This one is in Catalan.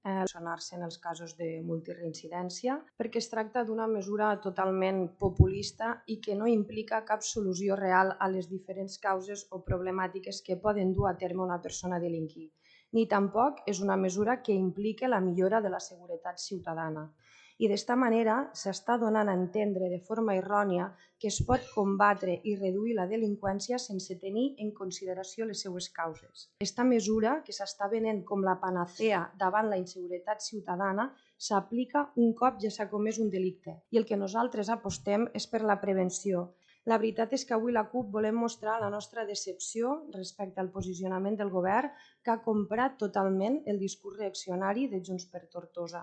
solucionar-se en els casos de multireincidència, perquè es tracta d'una mesura totalment populista i que no implica cap solució real a les diferents causes o problemàtiques que poden dur a terme una persona a delinquir, ni tampoc és una mesura que implique la millora de la seguretat ciutadana. I d'esta manera s'està donant a entendre de forma errònia que es pot combatre i reduir la delinqüència sense tenir en consideració les seues causes. Aquesta mesura, que s'està venent com la panacea davant la inseguretat ciutadana, s'aplica un cop ja s'ha comès un delicte i el que nosaltres apostem és per la prevenció. La veritat és que avui la CUP volem mostrar la nostra decepció respecte al posicionament del govern, que ha comprat totalment el discurs reaccionari de Junts per Tortosa.